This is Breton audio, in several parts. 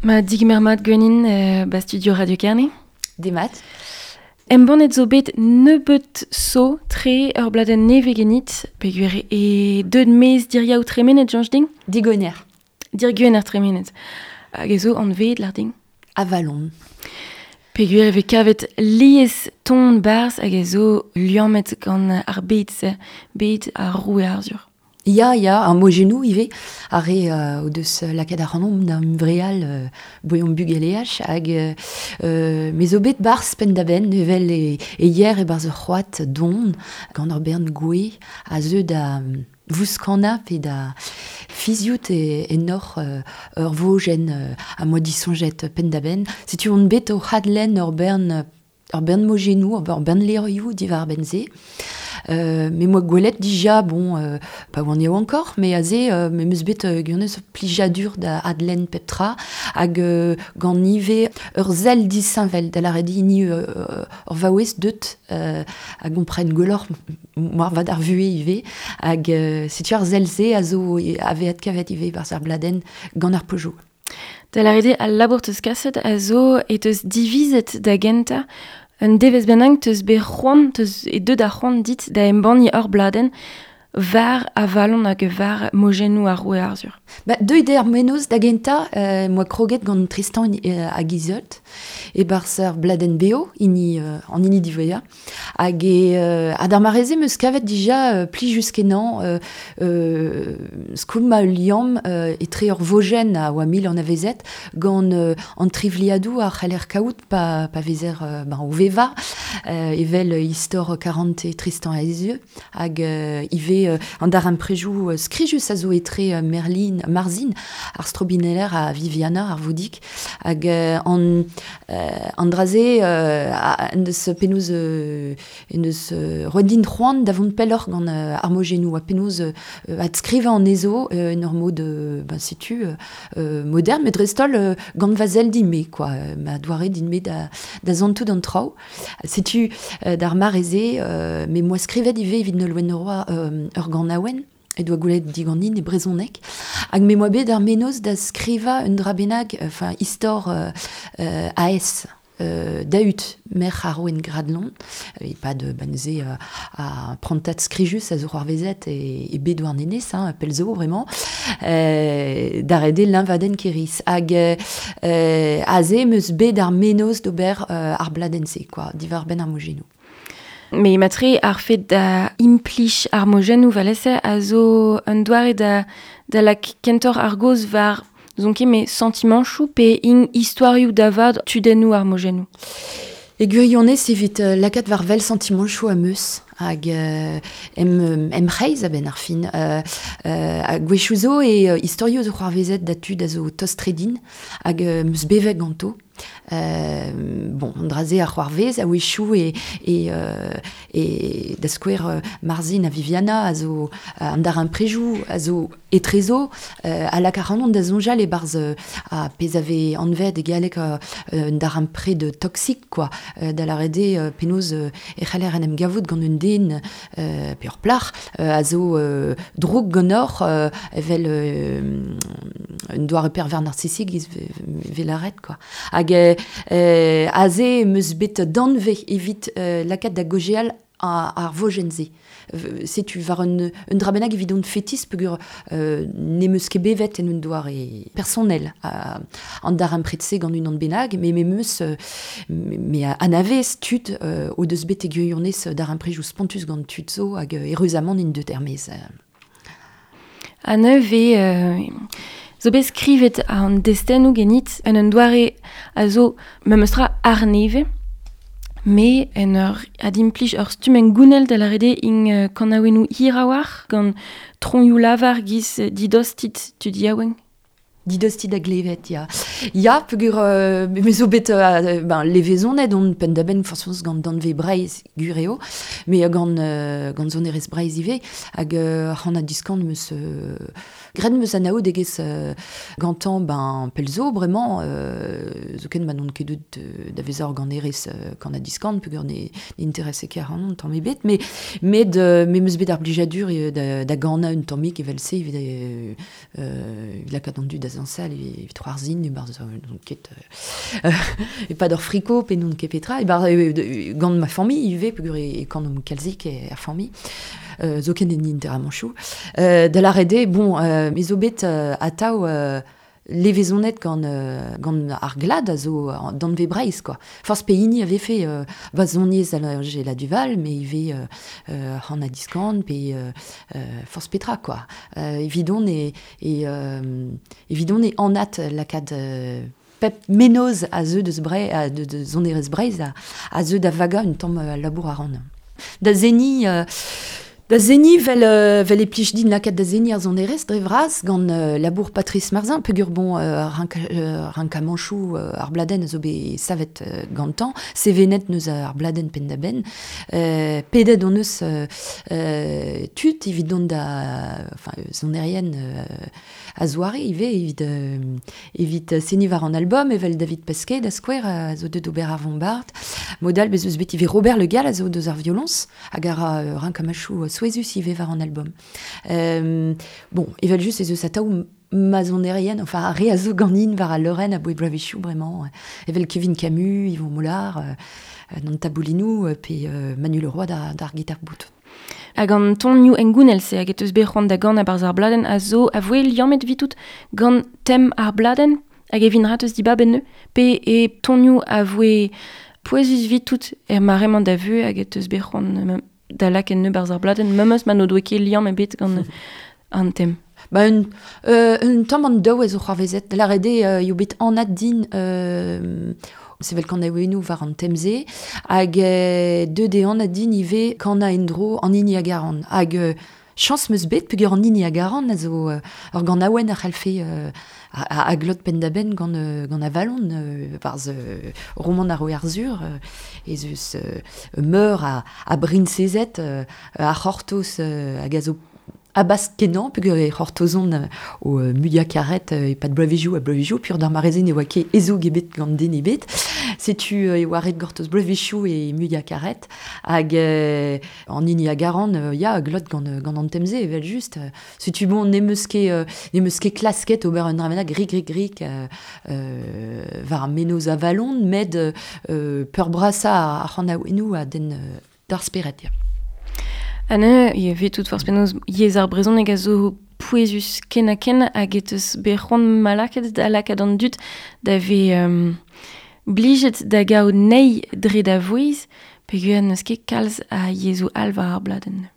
Ma digemer mat gwenin ba studio Radio Kerne. Demat. Embannet zo bet nebeut so tre ur bladenn nevez genit, peogwir e deut maez diriaou tremenet, Jañj din? Digoner. Dirgwener tremenet. Hag e zo anveet lar din? Avalon. Peogwir e vez kavet lies ton barzh hag e zo liammet gant ar bed-se, bed ar roue Arzhur. Ya, ya, ar mojennoù ivez, ar re o deus lakaet ac'hanomp da hunvreal boeomp bugaleaj hag me zo bet barzh penn-da-benn evel e, e yer e-barzh ur c'hoad don gant ur bern gouez a zeu da vouskanañ pe da fiziout e, ennoc'h ur vojenn ha moa disoñjet penn-da-benn. Setu on bet o c'hadlenn ur bern mojennoù, ur bern levrioù diwar-benn se. Me moa gwelet dija, bon, pa oan yaouankoc'h, mais aze, me 'meus bet gwirionez plijadur da adlenn pep tra, hag gant ivez ur sell disheñvel, da lâret hini ur vaouez deut a gompren gwelloc'h moarvat ar vuhez ivez, hag setu ar sell-se a zo a vez adkavet ivez barzh ar bladenn gant ar pojoù. Da lâret eo al labour teus kaset a zo e teus divizet da gentañ un devezh bennak teus bet c'hoant, teus e deut ar c'hoant dit da embanniñ ur bladenn war Avalon hag war mojennoù ar roue Arzhur. Ba, deuet eo ar mennozh da gentañ, moa kroget gant Tristan hag Iseult, e-barzh ar bladenn beo, hini, an hini diwezhañ. Hag e, ha d'ar mare-se 'meus kavet dija plijus-kenañ skoulmañ ul liamm etre ur vojenn a oa mil anavezet gant an trivliadoù a c'haller kaout pa vezer ben, o vevañ, evel istor karante Tristan ha Iseult, hag ivez an darempredoù skrijus a zo etre Merlin, Marzhin, ar strobineller ha Viviana, ar voudig, hag an dra-se en deus penaos en deus roet din c'hoant da vont pelloc'h gant ar mojennoù ha penaos adskrivañ anezho en ur mod ben, setu modern, met dreist-holl gant va sell din-me, quoi, ma doare din-me da santout an traoù. Setu d'ar mare-se, me moa skrivet ivez evit Nolwenn Leroy ur ganaouenn e doa goulet diganin e brezhoneg hag me moa bet ar mennozh da skrivañ un dra bennak, enfin istor Aes Dahut, merc'h ar rouen Gradlon, e-pad ba neuze ar prantad skrijus a zo c'hoarvezet e bed Douarnenez, hein, pell zo vraiment, da ret eo liñvadenn Kêr-Iz. Hag aze 'm eus bet ar mennozh d'ober ar bladenn-se, quoi, diwar-benn ar mojennoù. Me matre ar fed da implij ar mojennoù valese a zo un doare da lak kentoc'h ar gaoz war n'ouzon ket me santimanchoù pe int istoarioù da vat tudennoù ar mojennoù. E gwirionez evit lakaat war wel santimanchoù am eus hag em c'hreiz a-benn ar fin. Ha gwechoù zo e istorioù zo c'hoarvezet da tud a zo tost-tre din hag 'm eus bevet ganto. Bon, an dra-se a c'hoarvez a-wechoù e da skouer Marzhin ha Viviana a zo an darempredoù a zo etrezo a lak ac'hanon da soñjal e-barzh ar pezh a vez anvet e galleg un darempred toksik, quoi, da lâret eo penaos e c'haller en em gavout gant un den pe ur plac'h a zo drouk ganeoc'h evel un doare pervers narcissique vez lâret, quoi. Hag aze 'm eus bet danvez evit lakaat da gaozeal ar vojenn-se. Setu war un dra bennak evidon fetis peogwir n'em eus ket bevet en un doare personel an darempred-se gant unan bennak, met me 'm eus me anavez tud o deus bet e gwirionez darempredoù spontus gant tud zo hag eüruzamant int deut er-maez. Ha neuze zo bet skrivet an destennoù genit en un doare a zo memestra arnevez, me en ur adimplij ur stumm hengounel da lâret eo int kanaouennoù hir a-walc'h gant troioù lavar giz didostit tud yaouank. Didostit da glevet, ya. Ya, peogwir me zo bet ben, levezonet on penn-da-benn forzh gant danvez Breizh, gwir eo, met gant sonerezh Breizh ivez, hag ar c'han-ha-diskan 'm eus graet 'm eus anaoudegezh gantañ ben pell zo bremañ, zoken ma n'on ket deuet da vezañ ur ganerez kan-ha-diskan peogwir ne interese ket ac'hanon tamm ebet, met me 'm eus bet ar blijadur da ganañ un tammig evel-se evit lakaat an dud da zañsal evit c'hoarzhin e-barzh n'on ket e-pad ur friko pe n'on ket petra e-barzh gant ma familh ivez peogwir e kanomp kalzik er familh zoken en interamanchoù da lâret eo bon me zo bet atav levezonet gant gant ar glad a zo danvez Breizh quoi. Forzh pehini a vefe va soniezh Anjela Duval met ivez Hanna Diskan pe forzh petra quoi. Evidon e e evidon e anat lakaat pep mennozh a zeu deus Breizh de sonerezh Breizh a zeu da vagañ un tamm al labour a ran. Da seniñ Da seniñ 'vel 'vel e plij din lakaat da seniñ ar sonerezh dre vras gant labour Patrice Marzin peogwir bon rankamanchoù ar bladenn a zo bet savet gantañ, sevenet 'neus ar bladenn penn-da-benn. Pedet hon eus tud evit dont da enfin sonerien a-zoare ivez evit evit seniñ war an album evel David Pesquet da skouer a zo deuet d'ober ar vombard. Mod all bez eus bet ivez Robert Le Gall a zo deus ar violoñs hag a ra rank-amachoù souezhus ivez war an album. Bon, evel-just ez eus atav ma sonerien, enfin ar re a zo ganin war al leurenn aboe bloavezhioù bremañ, evel Kevin Camus, Yvon Molard, an taboulinoù pe Manu Leroy d'ar gitar bout. Hag an tonioù hengounel-se hag e teus bet c'hoant da ganañ barzh ar bladenn a zo a voe liammet 'vitout gant tem ar bladenn hag e vin rat eus dibab enne pe e tonioù a voe pouezus 'vitout er mare-mañ da vuhez hag e teus bet c'hoant da lakaat enne barzh ar bladenn memes ma n'o doe ket liamm ebet gant an tem. Ba un, un tamm an daou a zo c'hoarvezet. Da lâret eo eo bet anat din sevel kanaouennoù war an tem-se hag deuet eo anat din ivez kanañ en-dro an hini a garan. Hag chañs 'm eus bet peogwir an hini a garan a zo ur ganaouenn a c'hallfe a glot penn-da-benn gant gant Avalon barzh romant ar Roue Arzhur ez eus meur a briñsezed a c'hortoz hag a zo Abask-kenañ peogwir e c'hortozont o muiañ-karet e-pad bloavezhioù ha bloavezhioù peogwir d'ar mare-se ne oa ket ezoug ebet gant den ebet. Setu e oa ret gortoz bloavezhioù e muiañ-karet hag an hini a garan ya a glot gant gant an tem-se evel-just. Setu bon n'em eus ket n'em eus ket klasket ober un dra bennak rik-rik-rik war ar mennozh Avalon met peurbrasañ ar c'hanaouennoù a denn d'ar spered, ya. Ha neuze, e vez tout forzh penaos yezh ar brezhoneg a zo pouezus ken-ha-ken hag e teus bet c'hoant ma lakaet da lakaat an dud da vez blijet da gaout nei dre da vouezh peogwir n'eus ket kalz a yezhoù all war ar bladenn.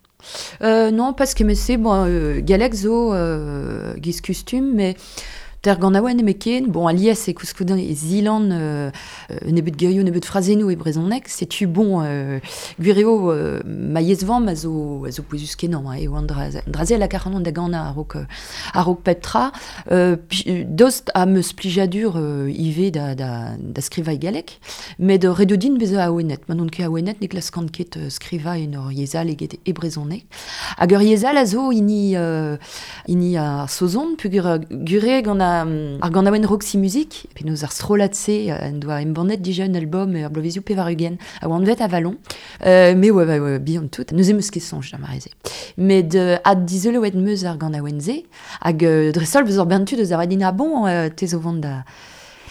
Non, pas kement-se, bon, galleg zo giz kustum, mais ter ganaouenn nemetken, bon, alies e koulskoude e zilan un nebeud gerioù, un nebeud frazennoù e brezhoneg, setu bon, gwir eo ma yezh-vamm a zo, a zo pouezus-kenañ, hein, eo an dra-se a laka ac'hanon da ganañ a-raok a-raok pep tra. Daoust ha 'm eus plijadur ivez da, da, da skrivañ e galleg, Met ret eo din bezañ awenet. Ma n'on ket awenet ne glaskan ket skrivañ en ur yezh all eget e brezhoneg. Hag ur yezh all a zo hini, hini ar Saozon, peogwir gure gant ar ganaouenn Roxy Music, penaos ar strollad-se en doa embannet dija un album er bloavezioù 80 a oa anvet Avalon. Me oa ouais, bihan tout, neuze 'm eus ket soñj d'ar mare-se. Met addizoloet 'm eus ar ganaouenn-se, hag dreist-holl beus ur bern tud eus ar din ah bon, te zo vont da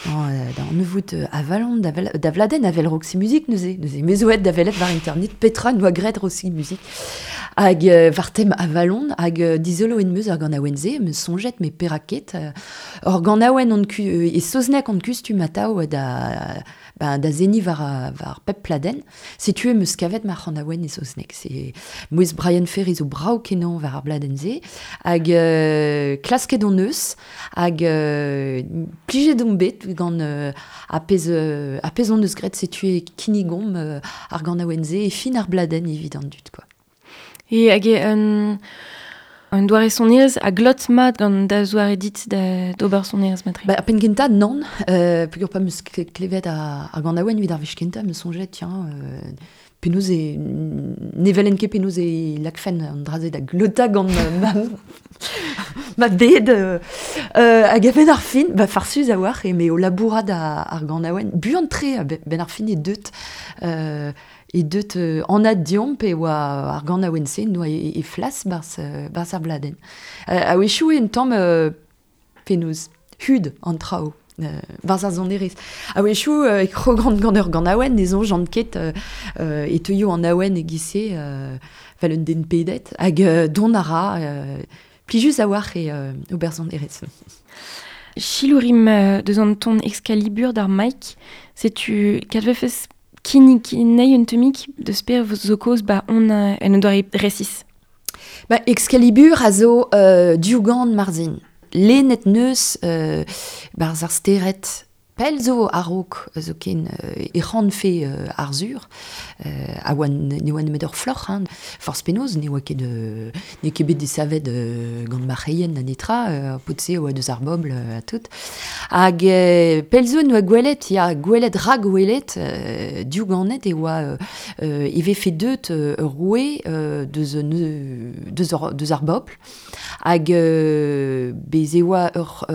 Da anavout Avalon, da Vladen avel Roxy Music neuze. Neuze me zo aet da welet war internet petra 'noa graet Roxy Music. Hag war tem Avalon, hag dizoloet 'm eus ar ganaouenn-se, 'm eus soñjet met perak ket. Ur ganaouenn on e saozneg on kustum atav da ben, da seniñ war, war pep pladenn. Setu em eus kavet ma c'hanaouenn e saozneg. C'est mouezh Brian Ferry zo brav-kenañ war ar bladenn-se. Hag klasket hon eus, hag plijet omp bet gant ar pezh, ar pezh hon eus graet. Setu e kinnigomp ar ganaouenn-se e fin ar bladenn evit an dud, quoi. E hag eo un, un doare sonerezh a glot mat gant da zoare dit d'ober sonerezh matre. Ba, ar penn kentañ, nann. Peogwir pa 'm eus klevet ar, ar ganaouenn evit ar wech kentañ, 'm eus soñjet, tiens, penaos e... ne welen ket penaos e lakfen an dra-se da glotañ gant ma, ma bed. Hag a-benn ar fin, ba, farsus a-walc'h, eme o labourat ar ganaouenn, buan-tre a-benn ar fin eo deut. E deut anat deomp e oa ar ganaouenn-se n'oa e flas barzh, barzh ar bladenn. A-wechoù eo un tamm penaos. hud an traoù. Barz ar sonerezh. A-wechoù e krogant gant ur ganaouenn, ne soñjan ket e teuio an awen e-giz-se vel un den pedet, hag dont a ra plijus a-walc'h eo ober sonerezh. Chilourim deus an ton Excalibur d'ar Mike, setu kadvefes kinnig nei un temik deus per zo kaoz ba on en un doare resis. Ba, Excalibur a zo diougan Marzhin. Lennet neus barz ar stered pell zo a-raok zo ken e c'hanfe Arzhur, a oa ne oa nemet ur floc'h, hein, forzh penaos, ne oa ket n'eo ket bet desavet gant marc'heien na netra, paotr-se a oa deus ar bobl ha tout. Hag pell zo ne oa gwelet, ya, gwelet ragwelet, diouganet e oa e vefe deut ur roue deus, deus, deus ar bobl, hag bez e oa ur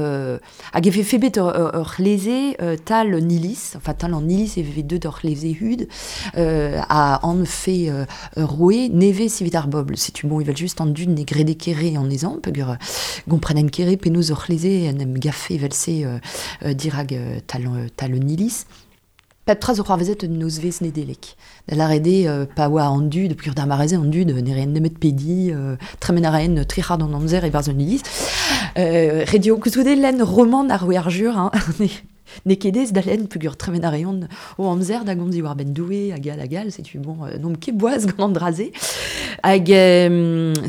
hag e vefe bet ur c'hleze tal an iliz, enfin tal an iliz e vefe deut ur c'hleze hud a anfe ur roue nevez evit ar bobl. Setu bon evel just an dud ne grede ket re anezhañ, peogwir gomprenen ket re penaos ur c'hleze en em gafe evel-se dirak tal, tal an iliz. Pep tra zo c'hoarvezet un nozvezh Nedeleg. Da lâret eo pa oa an dud, peogwir d'ar mare-se an dud ne raent nemet pediñ, tremen a raent tri c'hard an amzer e-barzh un iliz. Ret eo koulskoude lenn romant ar roue Arzhur, hein, n'eo ket aes da lenn peogwir tremen a reont o amzer da gomz diwar-benn Doue hag all hag all, setu bon, n'omp ket boaz gant an dra-se. Hag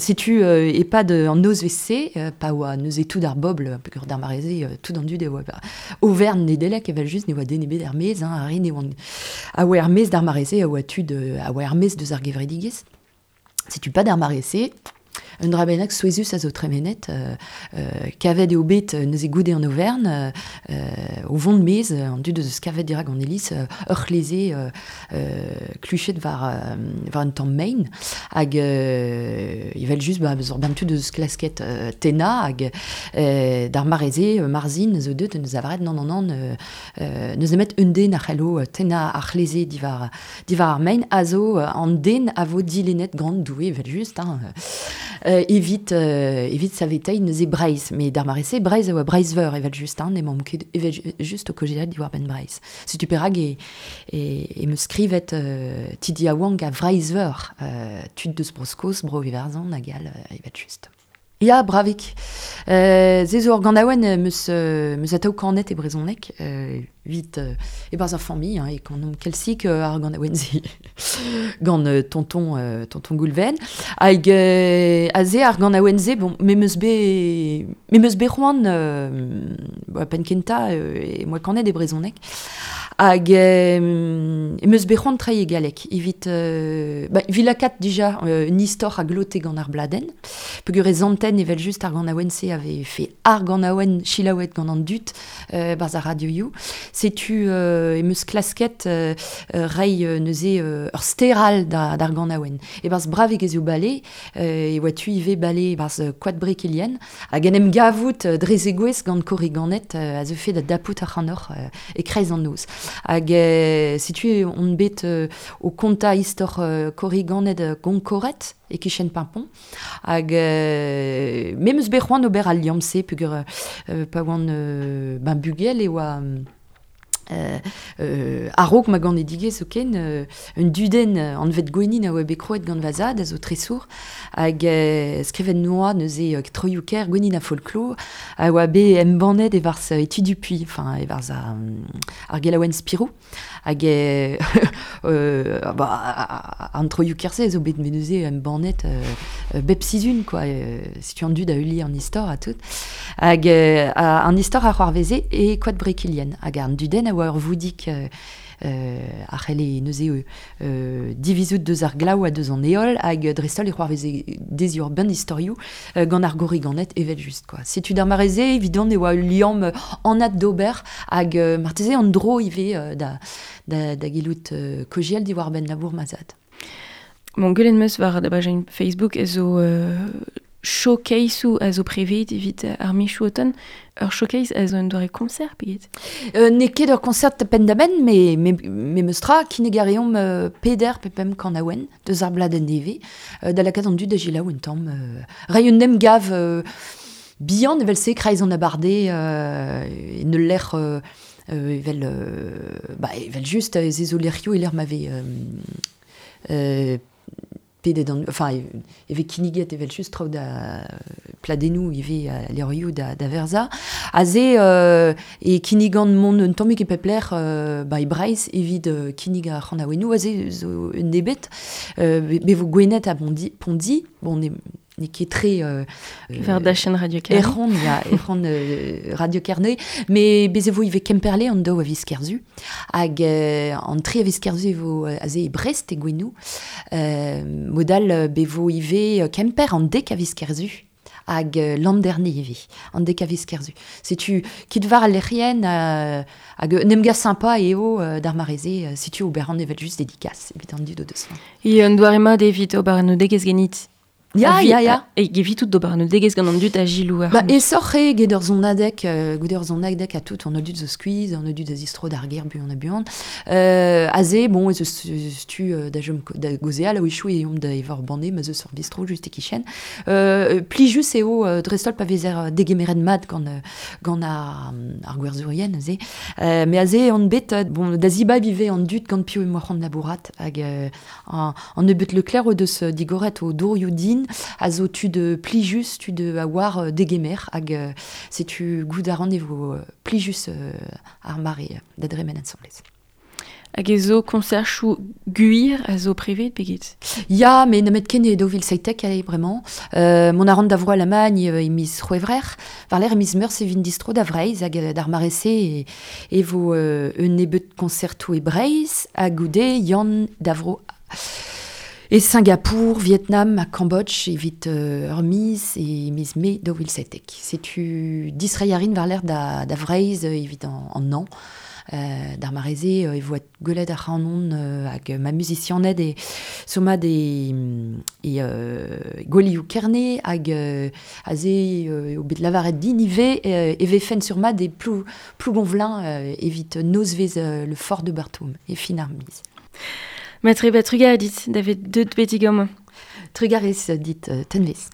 setu e-pad an nozvezh-se, pa oa neuze tout ar bobl, peogwir d'ar mare-se tout an dud e oa overn Nedeleg evel-just ne oa den ebet er-maez, hein, ar re ne oant a oa er-maez d'ar mare-se a oa tud a oa er-maez deus ar gevredigezh. Setu pas d'ar mare-se, un dra bennak souezhus a zo tremenet, kavet eo bet neuze goude an overn, o vont maez, an dud eus kavet dirak an iliz, ur c'hleze kluchet war, war un tamm mein, hag evel just ba, ur bern tud eus klasket tennañ, hag d'ar mare-se, Marzhin zo deut en deus lavaret nann, nann, nann, n'eus nemet un den a c'hello tennañ ar c'hleze diwar, diwar ar mein, a zo an den a vo dilennet gant Doue, evel just, hein, evit, evit saveteiñ neuze Breizh. Met d'ar mare-se, Breizh a oa Breizh-Veur evel-just, hein, n'emaomp ket evel-just o kaozeal diwar-benn Breizh. Setu perak e, e, e 'm eus skrivet tud yaouank a Vreizh-Veur, tud deus Bro-Skos, Bro-Iwerzhon hag all evel-just. Ya, bravik. Se zo ur ganaouenn 'm eus, 'm eus atav kanet e brezhoneg, evit e-barzh ar familh, hein, e kanomp kalzik ar ganaouenn-se gant tonton, tonton Goulven. Hag aze ar ganaouenn-se, bon, me 'm eus bet, me 'm eus bet c'hoant, ba, penn-kentañ e 'm oa kanet e brezhoneg. Hag em eus bet c'hoant treiñ e galleg evit, ba, evit lakaat dija un istor a glote gant ar bladenn. Peogwir e santen evel-just ar ganaouenn-se a vefe ar ganaouenn selaouet gant an dud barzh ar radioioù. Setu em eus klasket reiñ neuze ur ster all d'ar ganaouenn. E-barzh Bravig ez eo bale, e oa tu ivez bale e-barzh Koad Brekilien, hag en em gavout dre zegouezh gant korriganed a zeufe da dapout ac'hanoc'h e-kreiz an noz. Hag setu on bet o kontañ istor korriganed Gonkored e-kichen Pimpon. Hag me 'm eus bet c'hoant ober al liamm-se peogwir pa oan ben bugel e oa a-raok ma ganedigezh zoken, un dudenn anvet Gwennin a oa bet krouet gant va zad, a zo tresour, hag skrivet noa neuze troioù-kaer Gwennin ha folklor, a oa bet embannet e-barzh Eti Dupuy, enfin e-barzh ar gelaouenn Spirou. Hag bah, an troioù-kaer-se a zo bet neuze embannet bep sizhun, quoi. Setu an dud a heulie an istor ha tout. Hag an istor a c'hoarveze e Koad Brekilien. Hag an dudenn a oa ur voudig a c'helle neuze divizout deus ar glav ha deus an heol, hag dreist-holl e c'hoarveze dezhi ur bern istorioù gant ar gorriganed evel-just, quoi. Setu d'ar mare-se, evidon e oa ul liamm anat d'ober, hag marteze an dro ivez da, da, da gellout kaozeal diwar-benn labour ma zad. Bon, gwelet 'm eus war da bajenn Facebook ez zo showcaseoù a zo prevet evit ar michoù oton. Ur showcase a zo un doare concert pe get? N'eo ket ur concert penn-da-benn, me, me, memes tra, kinnig a reomp peder pe pemp kanaouenn deus ar bladenn nevez, da lakaat an dud da selaou un tamm. Reiñ un emgav. bihan evel se kreiz an abarde en ul lec'h evel ba evel just ze zo lec'hioù e lec'h ma vez pedet an enfin e vez kinniget evel just traoù da pladennoù ivez levrioù da verzañ. Aze e kinnigan mont un tammig e pep lec'h ba e Breizh evit kinnig ar c'hanaouennoù. Aze zo un nebet. Be vo Gwened ha Pondi, bon, n'eo ket tre... War dachenn Radio Kerne. Ec'hon, ya, ec'hon Radio Kerne. Mais bez e vo ivez Kemperle an daou a viz Kerzu. Hag an tri a viz Kerzu e vo aze e Brest e Gouenou. Modal be vo ivez Kemper an dek a viz Kerzu. Hag Landerne ivez, an dek a viz Kerzu. Setu kit war al lec'hienn hag un emgav sympa eo d'ar mare-se, setu ober an evel just dédicace evit an dud o deus. E un doare mat evit ober an odegezh ganit. Ya, ya, ya. E gevitout d'ober an odegezh gant an dud a gilou ar. Ba, esoc'h eo get ur zonadeg, goude ur zonadeg a tout, an dud zo skuizh, an dud a zistro d'ar gêr buan ha buan. Aze, bon, ez eus tu da chom da gaozeal, a-wechoù e omp da evañ ur banne, ma 'z eus ur bistro just e-kichen. Plijus eo dreist-holl pa vezer degemeret mat gant, gant ar, ar gwerzhourien aze. Me aze on bet, bon, da zibab ivez an dud gant piv emañ c'hoant labourat hag an nebeut Leclerc o deus digoret o dourioù din a zo tud plijus, tud a oar degemer hag setu goût a ran e vo plijus ar mare da dremen ensemblez. Hag e zo konserchoù gwir a zo prevet peget? Ya, met nemet ken e 2017 eo bremañ. Mont a ran da Vro Alamagn e miz C'hwevrer. War-lerc'h e miz Meurzh e vin distro da Vreizh hag d'ar mare-se e vo un nebeud konsertoù e Breizh ha goude Yann da Vro e Singapour, Vietnam ha Cambodge evit ur miz e miz Mae 2017. Setu distreiñ a rin war-lerc'h da Vreizh evit an hañv. D'ar mare-se e vo gwelet ac'hanon hag ma muzisianed e somat e, e Gwelioù Kerne hag aze eo bet lavaret din ivez e vefen sur-mat e Plou, Plougonvelin evit nozvezh le Fort de Berthaume e fin ar miz. Matre ba trugarez dit, da vet deut betek amañ. Trugarez dit, tenvez.